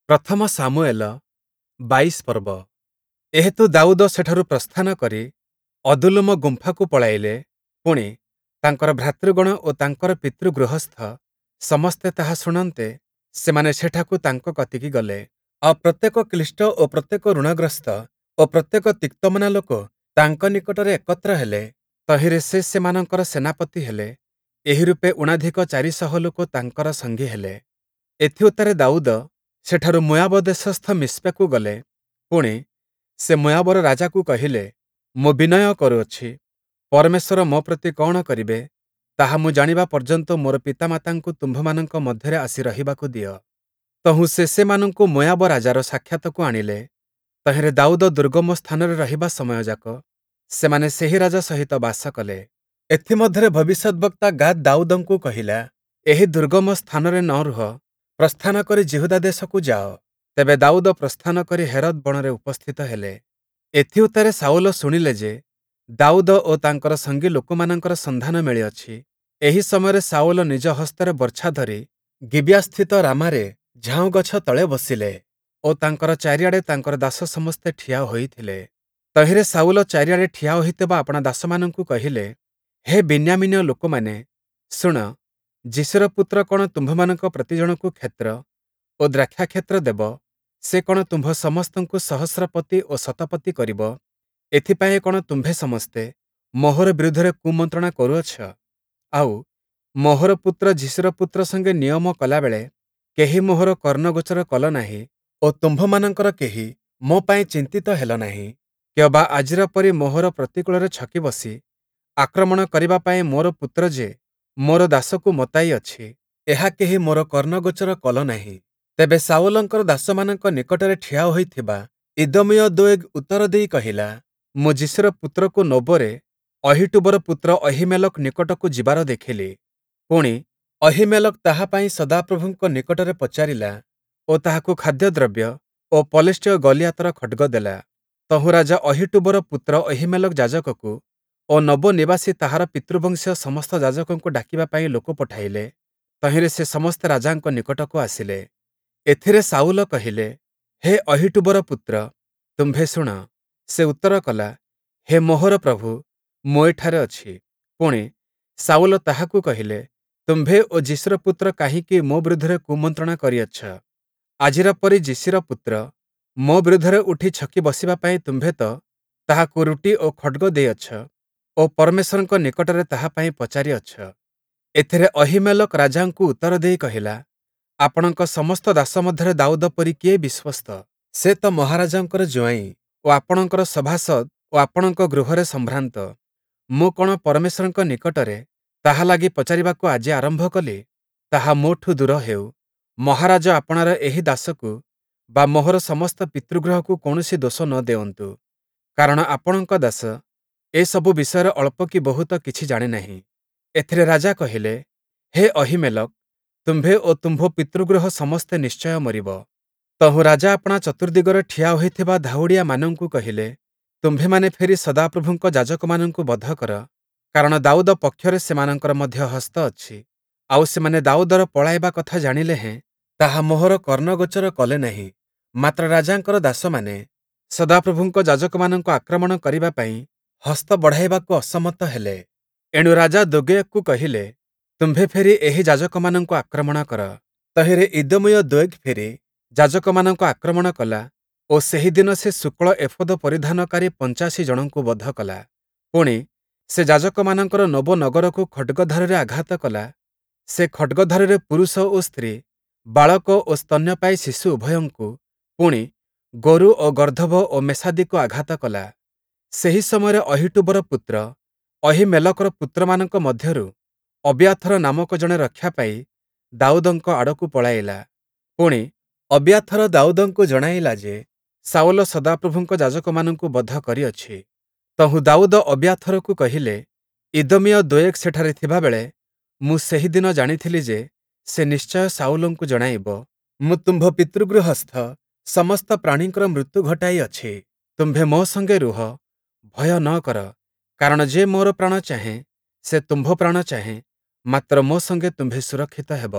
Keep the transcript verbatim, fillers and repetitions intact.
ପ୍ରଥମ ଶାମୁୟେଲ ବାଇଶ ପର୍ବ। ଏହେତୁ ଦାଉଦ ସେଠାରୁ ପ୍ରସ୍ଥାନ କରି ଅଦୁଲ୍ଲୀମ ଗୁମ୍ଫାକୁ ପଳାଇଲେ, ପୁଣି, ତାଙ୍କର ଭ୍ରାତୃଗଣ ଓ ତାଙ୍କର ପିତୃଗୃହସ୍ଥ ସମସ୍ତେ ତାହା ଶୁଣନ୍ତେ, ସେମାନେ ସେଠାକୁ ତାଙ୍କ କତିକି ଗଲେ। ଆଉ ପ୍ରତ୍ୟେକ କ୍ଳିଷ୍ଟ ଓ ପ୍ରତ୍ୟେକ ଋଣଗ୍ରସ୍ତ ଓ ପ୍ରତ୍ୟେକ ତିକ୍ତମନା ଲୋକ ତାଙ୍କ ନିକଟରେ ଏକତ୍ର ହେଲେ, ତହିଁରେ ସେ ସେମାନଙ୍କର ସେନାପତି ହେଲେ। ଏହିରୂପେ ଊଣାଧିକ ଚାରି ଶହ ଲୋକ ତାଙ୍କର ସଙ୍ଗୀ ହେଲେ। ଏଥିଉତ୍ତାରେ ଦାଉଦ ସେଠାରୁ ମୋୟାବ ଦେଶସ୍ଥ ମିସ୍ପାକୁ ଗଲେ। ପୁଣି, ସେ ମୋୟାବର ରାଜାକୁ କହିଲେ, ମୁଁ ବିନୟ କରୁଅଛି, ପରମେଶ୍ୱର ମୋ ପ୍ରତି କଅଣ କରିବେ, ତାହା ମୁଁ ଜାଣିବା ପର୍ଯ୍ୟନ୍ତ ମୋର ପିତାମାତାଙ୍କୁ ତୁମ୍ଭମାନଙ୍କ ମଧ୍ୟରେ ଆସି ରହିବାକୁ ଦିଅ। ତହୁଁ ସେ ସେମାନଙ୍କୁ ମୋୟାବ ରାଜାର ସାକ୍ଷାତକୁ ଆଣିଲେ। ତହିଁରେ ଦାଉଦ ଦୁର୍ଗମ ସ୍ଥାନରେ ରହିବା ସମୟଯାକ ସେମାନେ ସେହି ରାଜା ସହିତ ବାସ କଲେ। ଏଥିମଧ୍ୟରେ ଭବିଷ୍ୟଦ୍‌ବକ୍ତା ଗାଦ୍ ଦାଉଦଙ୍କୁ କହିଲା, ଏହି ଦୁର୍ଗମ ସ୍ଥାନରେ ନ ରୁହ, ପ୍ରସ୍ଥାନ କରି ଯିହୁଦା ଦେଶକୁ ଯାଅ। ତେବେ ଦାଉଦ ପ୍ରସ୍ଥାନ କରି ହେରତ୍ ବଣରେ ଉପସ୍ଥିତ ହେଲେ। ଏଥିଉତ୍ତାରେ ଶାଉଲ ଶୁଣିଲେ ଯେ, ଦାଉଦ ଓ ତାଙ୍କର ସଙ୍ଗୀ ଲୋକମାନଙ୍କର ସନ୍ଧାନ ମିଳିଅଛି। ଏହି ସମୟରେ ଶାଉଲ ନିଜ ହସ୍ତରେ ବର୍ଚ୍ଛା ଧରି ଗିବିୟାସ୍ଥିତ ରାମାରେ ଝାଉଁଗଛ ତଳେ ବସିଲେ ଓ ତାଙ୍କର ଚାରିଆଡ଼େ ତାଙ୍କର ଦାସ ସମସ୍ତେ ଠିଆ ହୋଇଥିଲେ। ତହିଁରେ ଶାଉଲ ଚାରିଆଡ଼େ ଠିଆ ହୋଇଥିବା ଆପଣା ଦାସମାନଙ୍କୁ କହିଲେ, ହେ ବିନ୍ୟାମୀନୀୟ ଲୋକମାନେ, ଶୁଣ, ଯିଶୀର ପୁତ୍ର କଅଣ ତୁମ୍ଭମାନଙ୍କ ପ୍ରତିଜଣକୁ କ୍ଷେତ୍ର ଓ ଦ୍ରାକ୍ଷାକ୍ଷେତ୍ର ଦେବ? ସେ କଅଣ ତୁମ୍ଭ ସମସ୍ତଙ୍କୁ ସହସ୍ରପତି ଓ ଶତପତି କରିବ? ଏଥିପାଇଁ କଅଣ ତୁମ୍ଭେ ସମସ୍ତେ ମୋହର ବିରୁଦ୍ଧରେ କୁମନ୍ତ୍ରଣା କରୁଅଛ? ଆଉ, ମୋହର ପୁତ୍ର ଯିଶୀର ପୁତ୍ର ସଙ୍ଗେ ନିୟମ କଲାବେଳେ କେହି ମୋହର କର୍ଣ୍ଣଗୋଚର କଲ ନାହିଁ ଓ ତୁମ୍ଭମାନଙ୍କର କେହି ମୋ ପାଇଁ ଚିନ୍ତିତ ହେଲ ନାହିଁ। କିଅବା ଆଜିର ପରି ମୋହର ପ୍ରତିକୂଳରେ ଛକି ବସି ଆକ୍ରମଣ କରିବା ପାଇଁ ମୋର ପୁତ୍ର ଯେ ମୋର ଦାସକୁ ମତାଇଅଛି, ଏହା କେହି ମୋର କର୍ଣ୍ଣଗୋଚର କଲ ନାହିଁ। ତେବେ ଶାଉଲଙ୍କର ଦାସମାନଙ୍କ ନିକଟରେ ଠିଆ ହୋଇଥିବା ଇଦୋମୀୟ ଦୋୟେଗ୍ ଉତ୍ତର ଦେଇ କହିଲା, ମୁଁ ଯିଶୀର ପୁତ୍ରକୁ ନୋବରେ ଅହୀଟୂବର ପୁତ୍ର ଅହୀମେଲକ୍ ନିକଟକୁ ଯିବାର ଦେଖିଲି। ପୁଣି, ଅହୀମେଲକ୍ ତାହା ପାଇଁ ସଦାପ୍ରଭୁଙ୍କ ନିକଟରେ ପଚାରିଲା ଓ ତାହାକୁ ଖାଦ୍ୟଦ୍ରବ୍ୟ ଓ ପଲେଷ୍ଟୀୟ ଗଲିୟାତର ଖଡ଼୍ଗ ଦେଲା। ତହୁଁ ରାଜା ଅହୀଟୂବର ପୁତ୍ର ଅହୀମେଲକ୍ ଯାଜକକୁ ଓ ନୋବ ନିବାସୀ ତାହାର ପିତୃବଂଶୀୟ ସମସ୍ତ ଯାଜକଙ୍କୁ ଡାକିବା ପାଇଁ ଲୋକ ପଠାଇଲେ। ତହିଁରେ ସେ ସମସ୍ତେ ରାଜାଙ୍କ ନିକଟକୁ ଆସିଲେ। ଏଥିରେ ଶାଉଲ କହିଲେ, ହେ ଅହୀଟୂବର ପୁତ୍ର, ତୁମ୍ଭେ ଶୁଣ। ସେ ଉତ୍ତର କଲା, ହେ ମୋହର ପ୍ରଭୁ, ମୁଁ ଏଠାରେ ଅଛି। ପୁଣି, ଶାଉଲ ତାହାକୁ କହିଲେ, ତୁମ୍ଭେ ଓ ଯିଶୀର ପୁତ୍ର କାହିଁକି ମୋ ବିରୁଦ୍ଧରେ କୁମନ୍ତ୍ରଣା କରିଅଛ? ଆଜିର ପରି ଯିଶୀର ପୁତ୍ର ମୋ ବିରୁଦ୍ଧରେ ଉଠି ଛକି ବସିବା ପାଇଁ ତୁମ୍ଭେ ତ ତାହାକୁ ରୁଟି ଓ ଖଡ଼୍ଗ ଦେଇଅଛ ଓ ପରମେଶ୍ୱରଙ୍କ ନିକଟରେ ତାହା ପାଇଁ ପଚାରିଅଛ। ଏଥିରେ ଅହୀମେଲକ୍ ରାଜାଙ୍କୁ ଉତ୍ତର ଦେଇ କହିଲା, ଆପଣଙ୍କ ସମସ୍ତ ଦାସ ମଧ୍ୟରେ ଦାଉଦ ପରି କିଏ ବିଶ୍ୱସ୍ତ? ସେ ତ ମହାରାଜାଙ୍କର ଜୁଆଇଁ ଓ ଆପଣଙ୍କର ସଭାସଦ୍ ଓ ଆପଣଙ୍କ ଗୃହରେ ସମ୍ଭ୍ରାନ୍ତ। ମୁଁ କଅଣ ପରମେଶ୍ୱରଙ୍କ ନିକଟରେ ତାହା ଲାଗି ପଚାରିବାକୁ ଆଜି ଆରମ୍ଭ କଲି? ତାହା ମୋଠୁ ଦୂର ହେଉ। ମହାରାଜ ଆପଣାର ଏହି ଦାସକୁ ବା ମୋହର ସମସ୍ତ ପିତୃଗୃହକୁ କୌଣସି ଦୋଷ ନ ଦେଉନ୍ତୁ, କାରଣ ଆପଣଙ୍କ ଦାସ ଏସବୁ ବିଷୟରେ ଅଳ୍ପ କି ବହୁତ କିଛି ଜାଣେ ନାହିଁ। ଏଥିରେ ରାଜା କହିଲେ, ହେ ଅହୀମେଲକ୍, ତୁମ୍ଭେ ଓ ତୁମ୍ଭ ପିତୃଗୃହ ସମସ୍ତେ ନିଶ୍ଚୟ ମରିବ। ତହୁଁ ରାଜା ଆପଣା ଚତୁର୍ଦ୍ଦିଗରେ ଠିଆ ହୋଇଥିବା ଧାଉଡ଼ିଆମାନଙ୍କୁ କହିଲେ, ତୁମ୍ଭେମାନେ ଫେରି ସଦାପ୍ରଭୁଙ୍କ ଯାଜକମାନଙ୍କୁ ବଧ କର, କାରଣ ଦାଉଦ ପକ୍ଷରେ ସେମାନଙ୍କର ମଧ୍ୟ ହସ୍ତ ଅଛି। ଆଉ ସେମାନେ ଦାଉଦର ପଳାଇବା କଥା ଜାଣିଲେ ହେଁ ତାହା ମୋହର କର୍ଣ୍ଣଗୋଚର କଲେ ନାହିଁ। ମାତ୍ର ରାଜାଙ୍କର ଦାସମାନେ ସଦାପ୍ରଭୁଙ୍କ ଯାଜକମାନଙ୍କୁ ଆକ୍ରମଣ କରିବା ପାଇଁ ହସ୍ତ ବଢ଼ାଇବାକୁ ଅସମତ ହେଲେ। ଏଣୁ ରାଜା ଦୋୟେଗ୍‌କୁ କହିଲେ, ତୁମ୍ଭେ ଫେରି ଏହି ଯାଜକମାନଙ୍କୁ ଆକ୍ରମଣ କର। ତହିଁରେ ଇଦୋମୀୟ ଦୋୟେଗ୍ ଫେରି ଯାଜକମାନଙ୍କୁ ଆକ୍ରମଣ କଲା ଓ ସେହି ଦିନ ସେ ଶୁକ୍ଳ ଏଫୋଦ ପରିଧାନକାରୀ ପଞ୍ଚାଶୀ ଜଣଙ୍କୁ ବଧ କଲା। ପୁଣି, ସେ ଯାଜକମାନଙ୍କର ନୋବ ନଗରକୁ ଖଡ଼୍ଗଧାରୁରେ ଆଘାତ କଲା। ସେ ଖଡ଼୍ଗଧାରୁରେ ପୁରୁଷ ଓ ସ୍ତ୍ରୀ, ବାଳକ ଓ ସ୍ତନ୍ୟପାୟୀ ଶିଶୁ ଉଭୟଙ୍କୁ, ପୁଣି, ଗୋରୁ ଓ ଗର୍ଦ୍ଦଭ ଓ ମେଷାଦିକୁ ଆଘାତ କଲା। ସେହି ସମୟରେ ଅହୀଟୂବର ପୁତ୍ର ଅହୀମେଲକର ପୁତ୍ରମାନଙ୍କ ମଧ୍ୟରୁ ଅବିୟାଥର ନାମକ ଜଣେ ରକ୍ଷା ପାଇ ଦାଉଦଙ୍କ ଆଡ଼କୁ ପଳାଇଲା। ପୁଣି, ଅବିୟାଥର ଦାଉଦଙ୍କୁ ଜଣାଇଲା ଯେ, ଶାଉଲ ସଦାପ୍ରଭୁଙ୍କ ଯାଜକମାନଙ୍କୁ ବଧ କରିଅଛି। ତହୁଁ ଦାଉଦ ଅବିୟାଥରକୁ କହିଲେ, ଇଦୋମୀୟ ଦୋୟେଗ୍ ସେଠାରେ ଥିବାବେଳେ ମୁଁ ସେହି ଦିନ ଜାଣିଥିଲି ଯେ, ସେ ନିଶ୍ଚୟ ଶାଉଲଙ୍କୁ ଜଣାଇବ, ମୁଁ ତୁମ୍ଭ ପିତୃଗୃହସ୍ଥ ସମସ୍ତ ପ୍ରାଣୀଙ୍କର ମୃତ୍ୟୁ ଘଟାଇଅଛି। ତୁମ୍ଭେ ମୋ ସଙ୍ଗେ ରୁହ, ଭୟ ନ କର, କାରଣ ଯେ ମୋର ପ୍ରାଣ ଚାହେଁ, ସେ ତୁମ୍ଭ ପ୍ରାଣ ଚାହେଁ, ମାତ୍ର ମୋ ସଙ୍ଗେ ତୁମ୍ଭେ ସୁରକ୍ଷିତ ହେବ।